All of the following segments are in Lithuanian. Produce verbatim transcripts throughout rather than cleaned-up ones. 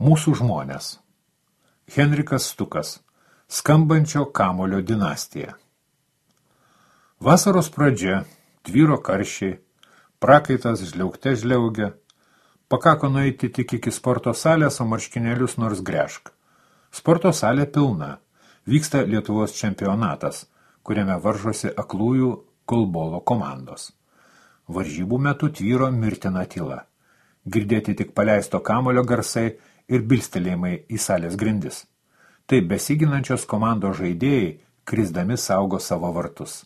Mūsų žmonės. Henrikas Stukas. Skambančio kamulio dinastija. Vasaros pradžia, tvyro karščiai, prakaitas žliaugte žliaugia. Pakako nueiti tik iki sporto salės, o marškinėlius nors gręžk. Sporto salė pilna. Vyksta Lietuvos čempionatas, kuriame varžosi aklųjų golbolo komandos. Varžybų metu tvyro mirtina tyla. Girdėti tik paleisto kamulio garsai ir bilstelėjimai į salės grindis. Taip besiginančios komandos žaidėjai, krisdami saugo savo vartus.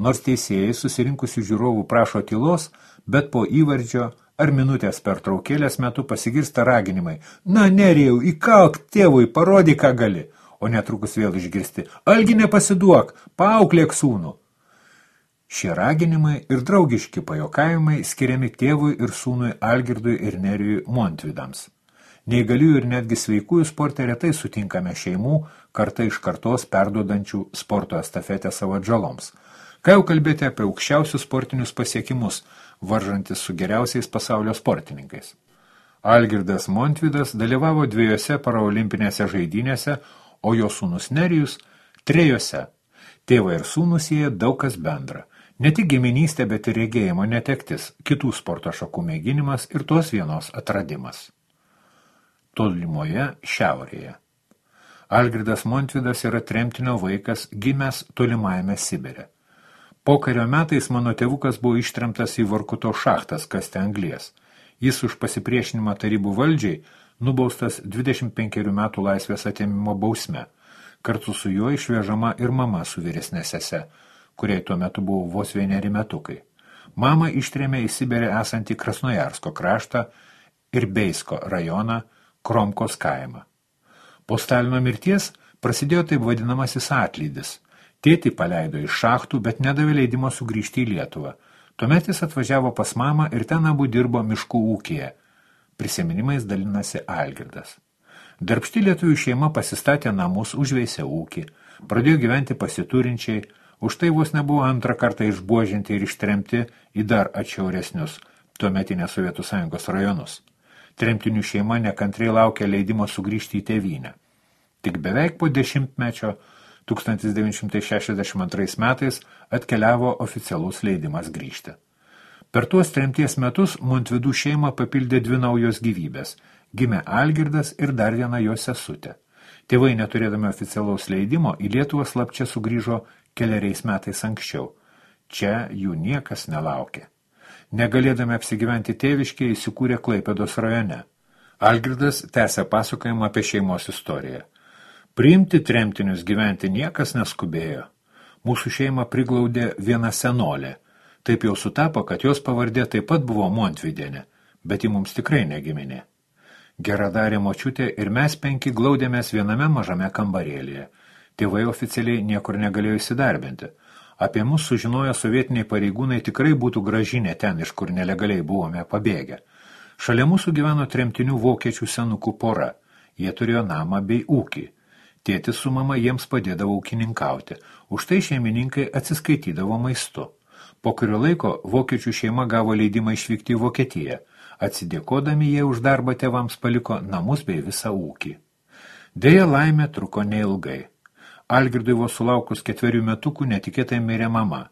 Nors teisėjai susirinkusių žiūrovų prašo tylos, bet po įvardžio ar minutės pertraukėlės metu pasigirsta raginimai. Na, Nerijau, įkalk tėvui, parodyk, ką gali. O netrukus vėl išgirsti. Algi nepasiduok, paauklėk sūnų. Šie raginimai ir draugiški pajokavimai skiriami tėvui ir sūnui Algirdui ir Nerijui Montvidams. Neįgaliųjų ir netgi sveikųjų sporte retai sutinkame šeimų, karta iš kartos perduodančių sporto estafetę savo atžaloms. Ką jau kalbėti apie aukščiausius sportinius pasiekimus, varžantis su geriausiais pasaulio sportininkais. Algirdas Montvidas dalyvavo dviejose paraolimpinėse žaidynėse, o jo sūnus Nerijus trejose. Tėvai ir sūnus jie daug kas bendra. Ne tik giminystė, bet ir regėjimo netektis, kitų sporto šakų mėginimas ir tos vienos atradimas. Tolimoje šiaurėje. Algirdas Montvidas yra tremtinio vaikas, gimęs tolimajame Sibire. Pokario metais mano tėvukas buvo ištremtas į Vorkuto šachtas kasti anglies. Jis už pasipriešinimą tarybų valdžiai nubaustas dvidešimt penkerių metų laisvės atėmimo bausme. Kartu su juo išvežama ir mama su vyresne sese, kuriai tuo metu buvo vos vieneri metukai. Mama ištrėmė į Sibirę esantį Krasnojarsko kraštą ir Beisko rajoną, Kromkos kaimą. Po Stalino mirties prasidėjo taip vadinamasis atlydis. Tėtį paleido iš šachtų, bet nedavė leidimo sugrįžti į Lietuvą. Tuomet jis atvažiavo pas mamą ir ten abu dirbo miškų ūkyje. Prisiminimais dalinasi Algirdas. Darbšti lietuvių šeima pasistatė namus, užveisė ūkį, pradėjo gyventi pasiturinčiai, už tai vos nebuvo antrą kartą išbuožinti ir ištremti į dar atšiauresnius tuometinės Sovietų Sąjungos rajonus. Tremtinių šeima nekantriai laukė leidimo sugrįžti į tėvynę. Tik beveik po dešimtmečio tūkstantis devyni šimtai šešiasdešimt antrais metais atkeliavo oficialus leidimas grįžti. Per tuos tremties metus Montvidų šeimą papildė dvi naujos gyvybės. Gimė Algirdas ir dar viena jo sesutė. Tėvai, neturėdami oficialaus leidimo, į Lietuvą slapčia sugrįžo keleriais metais anksčiau. Čia jų niekas nelaukė. Negalėdami apsigyventi tėviškėje, įsikūrė Klaipėdos rajone. Algirdas tęsė pasakojimą apie šeimos istoriją. Priimti tremtinius gyventi niekas neskubėjo. Mūsų šeimą priglaudė viena senolė. Taip jau sutapo, kad jos pavardė taip pat buvo Montvidienė, bet ji mums tikrai negiminė. Geradarė močiutė ir mes penki glaudėmės viename mažame kambarėlyje. Tėvai oficialiai niekur negalėjo įsidarbinti. Apie mus sužinoję sovietiniai pareigūnai tikrai būtų grąžinę ten, iš kur nelegaliai buvome pabėgę. Šalia mūsų gyveno tremtinių vokiečių senukų pora. Jie turėjo namą bei ūkį. Tėtis su mama jiems padėdavo ūkininkauti. Už tai šeimininkai atsiskaitydavo maistu. Po kurio laiko vokiečių šeima gavo leidimą išvykti į Vokietiją. Atsidėkodami jie už darbą tėvams paliko namus bei visą ūkį. Deja, laimė truko neilgai. Algirdui vos sulaukus ketverių metukų netikėtai mirė mama.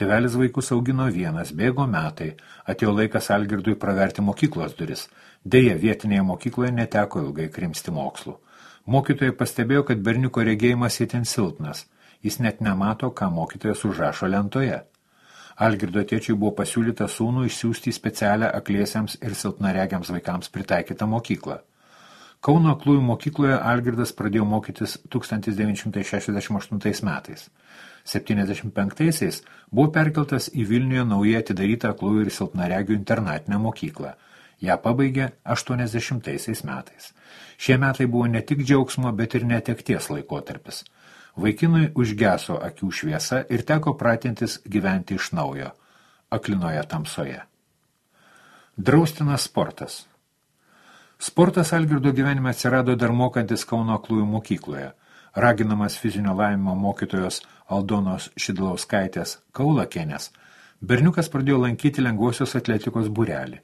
Tėvelis vaikus augino vienas, bėgo metai. Atėjo laikas Algirdui praverti mokyklos duris. Deja, vietinėje mokykloje neteko ilgai krimsti mokslų. Mokytojai pastebėjo, kad berniuko regėjimas itin silpnas. Jis net nemato, ką mokytojas užrašo lentoje. Algirdo tėčiui buvo pasiūlyta sūnų išsiųsti į specialią akliesiems ir silpnaregiams vaikams pritaikytą mokyklą. Kauno aklųjų mokykloje Algirdas pradėjo mokytis tūkstantis devyni šimtai šešiasdešimt aštuntais metais. septyniasdešimt penktaisiais buvo perkeltas į Vilniuje naujai atidarytą aklųjų ir silpnaregių internatinę mokyklą. Ją pabaigė aštuoniasdešimtaisiais metais. Šie metai buvo ne tik džiaugsmo, bet ir netekties laikotarpis. Vaikinui užgeso akių šviesa ir teko pratintis gyventi iš naujo, aklinoje tamsoje. Draustinas sportas. Sportas Algirdo gyvenime atsirado dar mokantis Kauno aklųjų mokykloje. Raginamas fizinio lavinimo mokytojos Aldonos Šidlauskaitės Kaulakienės, berniukas pradėjo lankyti lengvosios atletikos būrelį.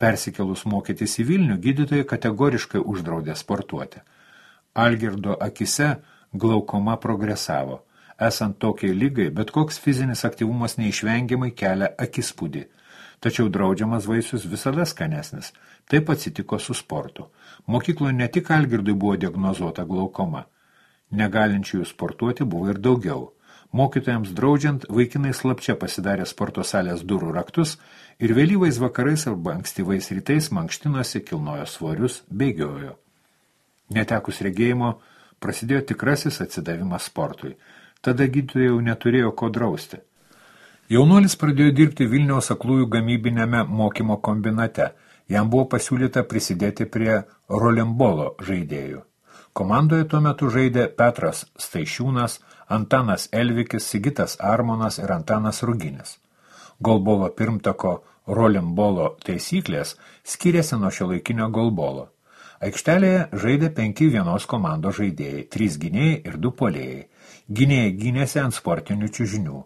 Persikėlus mokytis į Vilnių, gydytojai kategoriškai uždraudė sportuoti. Algirdo akise glaukoma progresavo. Esant tokiai lygai, bet koks fizinis aktyvumas neišvengiamai kelia akispūdį. Tačiau draudžiamas vaisius visada skanesnis. Taip atsitiko su sportu. Mokykloje ne tik Algirdui buvo diagnozuota glaukoma. Negalinčiųjų sportuoti buvo ir daugiau. Mokytojams draudžiant, vaikinai slapčia pasidarė sporto salės durų raktus ir vėlyvais vakarais arba ankstyvais rytais mankštinosi, kilnojo svorius, bėgiojo. Netekus regėjimo, prasidėjo tikrasis atsidavimas sportui. Tada gydytojai jau neturėjo ko drausti. Jaunuolis pradėjo dirbti Vilniaus aklųjų gamybinėme mokymo kombinate. Jam buvo pasiūlyta prisidėti prie rolembolo žaidėjų. Komandoje tuo metu žaidė Petras Staišiūnas, Antanas Elvikis, Sigitas Armonas ir Antanas Ruginis. Golbolo pirmtako rolembolo taisyklės skiriasi nuo šiuolaikinio golbolo. Aikštelėje žaidė penki vienos komandos žaidėjai, trys gynėjai ir du puolėjai. Gynėjai gynėsi ant sportinių čiužinių.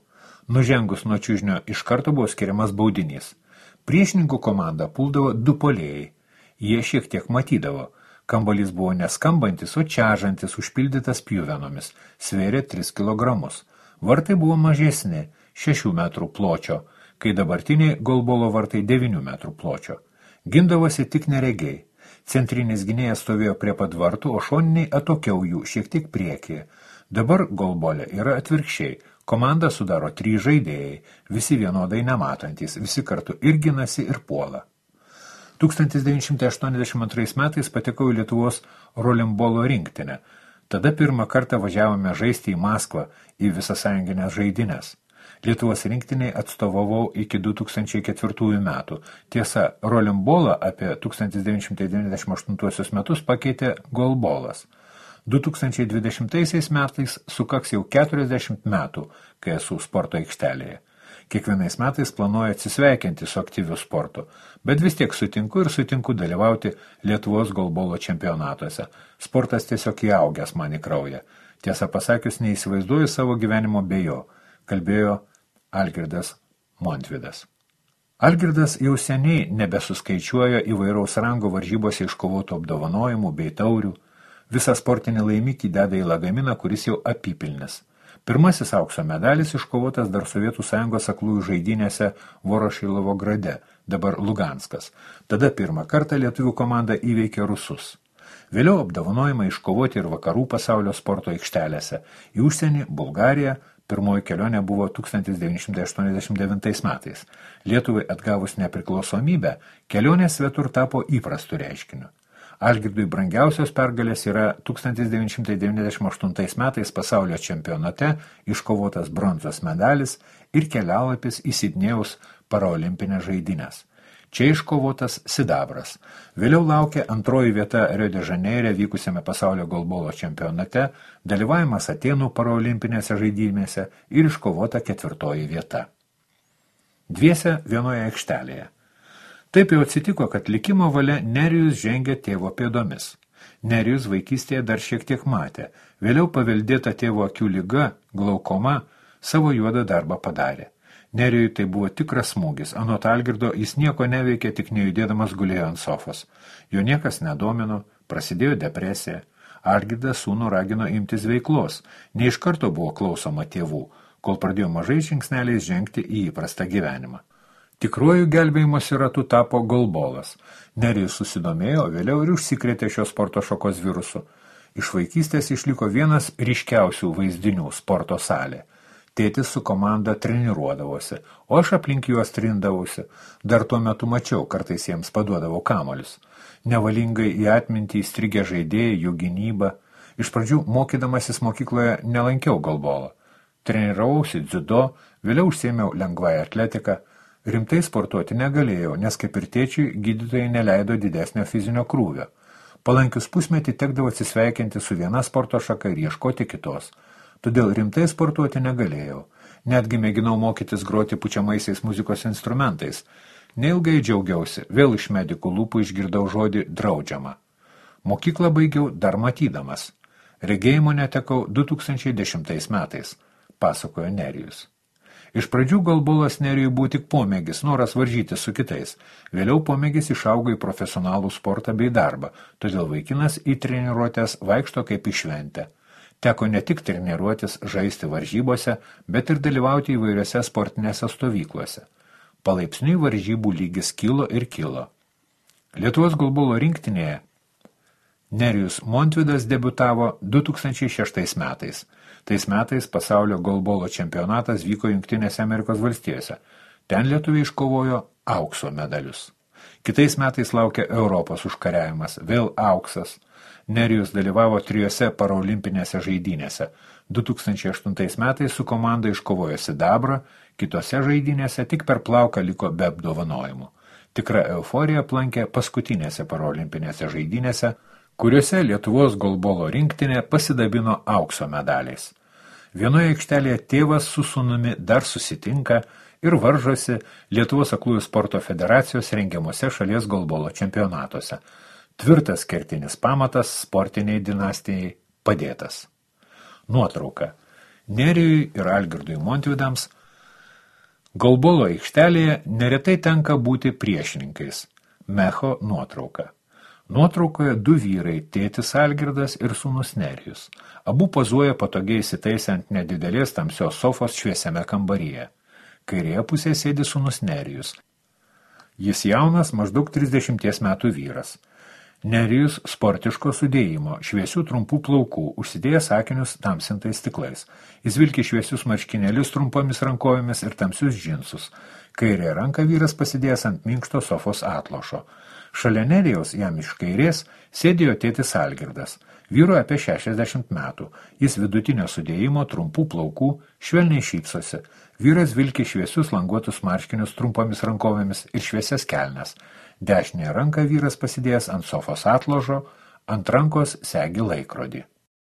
Nužengus nuo čiužnio iš karto buvo skiriamas baudinys. Priešininkų komandą puldavo du puolėjai. Jie šiek tiek matydavo. Kambalys buvo neskambantis, o čiažantis, užpildytas pjuvenomis, svėrė tris kilogramus. Vartai buvo mažesni, šešių metrų pločio, kai dabartiniai golbolo vartai devynių metrų pločio. Gindavosi tik neregiai. Centrinis gynėjas stovėjo prie pat vartų, o šoniniai atokiau jų, šiek tiek priekyje. Dabar golbolė yra atvirkščiai. Komandą sudaro trys žaidėjai, visi vienodai nematantys, visi kartu ir ginasi, ir puola. tūkstantis devyni šimtai aštuoniasdešimt antrais metais patekau į Lietuvos rolembolo rinktinę. Tada pirmą kartą važiavome žaisti į Maskvą, į visasąjunginės žaidynės. Lietuvos rinktiniai atstovavau iki du tūkstančiai ketvirtųjų metų. Tiesa, rolembolą apie tūkstantis devyni šimtai devyniasdešimt aštuntuosius metus pakeitė golbolas. du tūkstančiai dvidešimtaisiais metais sukaks jau keturiasdešimt metų, kai esu sporto aikštelėje. Kiekvienais metais planuoju atsisveikinti su aktyviu sportu, bet vis tiek sutinku ir sutinku dalyvauti Lietuvos golbolo čempionatuose. Sportas tiesiog įaugęs man į kraują. Tiesą pasakius, neįsivaizduoju savo gyvenimo be jo, kalbėjo Algirdas Montvydas. Algirdas jau seniai nebesuskaičiuoja įvairaus rango varžybose iškovotų apdovanojimų bei taurių. Visą sportinį laimikį deda į lagaminą, kuris jau apipilnis. Pirmasis aukso medalis iškovotas dar Sovietų Sąjungos aklųjų žaidynėse Vorošilovo grade, dabar Luganskas. Tada pirmą kartą lietuvių komanda įveikė rusus. Vėliau apdovanojimai iškovoti ir vakarų pasaulio sporto aikštelėse. Į užsienį, Bulgariją, pirmoji kelionė buvo tūkstantis devyni šimtai aštuoniasdešimt devintais metais. Lietuvai atgavus nepriklausomybę, kelionė svetur tapo įprastu reiškiniu. Algirdui brangiausios pergalės yra tūkstantis devyni šimtai devyniasdešimt aštuntais metais pasaulio čempionate iškovotas bronzos medalis ir kelialapis į Sidnėjaus paraolimpinės žaidynės. Čia iškovotas sidabras. Vėliau laukia antroji vieta Rio de Žaneire vykusiame pasaulio golbolo čempionate, dalyvavimas Atėnų paraolimpinėse žaidynėse ir iškovota ketvirtoji vieta. Dviese vienoje aikštelėje. Taip jau atsitiko, kad likimo valia Nerijus žengė tėvo pėdomis. Nerijus vaikystėje dar šiek tiek matė. Vėliau paveldėta tėvo akių liga, glaukoma, savo juodą darbą padarė. Nerijui tai buvo tikras smūgis. Anot Algirdo jis nieko neveikė, tik nejudėdamas gulėjo ant sofos. Jo niekas nedomino, prasidėjo depresija. Algirdas sūnų ragino imtis veiklos. Ne iš karto buvo klausoma tėvų, kol pradėjo mažai žingsneliais žengti į įprastą gyvenimą. Tikruoju gelbėjimosi ratu tapo golbolas. Nerijus susidomėjo, vėliau ir užsikrėtė šios sporto šakos virusu. Iš vaikystės išliko vienas ryškiausių vaizdinių sporto salė. Tėtis su komanda treniruodavosi, o aš aplink juos trindavausi. Dar tuo metu mačiau, kartais jiems paduodavau kamolius. Nevalingai į atmintį įstrigę žaidėjai, jų gynybą. Iš pradžių, mokydamasis mokykloje, nelankiau golbolą. Treniravausi dziudo, vėliau užsiėmiau lengvąją atletiką. Rimtai sportuoti negalėjau, nes kaip ir tėčiui gydytojai neleido didesnio fizinio krūvio. Palankius pusmetį tekdavo atsisveikinti su viena sporto šaka ir ieškoti kitos. Todėl rimtai sportuoti negalėjau. Netgi mėginau mokytis groti pučiamaisiais muzikos instrumentais. Neilgai džiaugiausi, vėl iš medikų lūpų išgirdau žodį draudžiama. Mokyklą baigiau dar matydamas. Regėjimo netekau du tūkstančiai dešimtais metais, pasakojo Nerijus. Iš pradžių golbolas Nerijui buvo tik pomėgis, noras varžyti su kitais. Vėliau pomėgis išaugo į profesionalų sportą bei darbą, todėl vaikinas į treniruotės vaikšto kaip į šventę. Teko ne tik treniruotis, žaisti varžybose, bet ir dalyvauti įvairiose sportinėse stovyklose. Palaipsniui varžybų lygis kilo ir kilo. Lietuvos golbolo rinktinėje Nerijus Montvydas debiutavo du tūkstančiai šeštais metais. Tais metais pasaulio golbolo čempionatas vyko Jungtinėse Amerikos valstijose. Ten lietuviai iškovojo aukso medalius. Kitais metais laukia Europos užkariavimas, vėl auksas. Nerijus dalyvavo trijose parolimpinėse žaidynėse. du tūkstančiai aštuntais metais su komanda iškovojo sidabrą, kitose žaidynėse tik per plauką liko be apdovanojimų. Tikra euforija aplankė paskutinėse parolimpinėse žaidynėse, kuriuose Lietuvos golbolo rinktinė pasidabino aukso medaliais. Vienoje aikštelėje tėvas su sūnumi dar susitinka ir varžosi Lietuvos aklųjų sporto federacijos rengiamuose šalies golbolo čempionatuose. Tvirtas kertinis pamatas sportiniai dinastijai padėtas. Nuotrauka. Nerijui ir Algirdui Montvydams golbolo aikštelėje neretai tenka būti priešininkais. Mecho nuotrauka. Nuotraukoje du vyrai, tėtis Algirdas ir sūnus Nerijus. Abu pozuoja patogiai įsitaisę ant nedidelės tamsios sofos šviesiame kambaryje. Kairėje pusėje sėdi sūnus Nerijus. Jis jaunas, maždaug trisdešimties metų vyras. Nerijus sportiško sudėjimo, šviesių trumpų plaukų, užsidėjęs akinius tamsintais stiklais. Jis vilki šviesius marškinėlius trumpomis rankovėmis ir tamsius džinsus. Kairė ranka vyras pasidėjęs ant minkšto sofos atlošo. Šalia Nerijaus, jam iš kairės, sėdėjo tėtis Algirdas. Vyru apie šešiasdešimt metų. Jis vidutinio sudėjimo, trumpų plaukų, švelniai šypsosi. Vyras vilki šviesius languotus marškinius trumpomis rankovėmis ir šviesias kelnes. Dešinėje ranką vyras pasidėjęs ant sofos atložo, ant rankos segi laikrodį.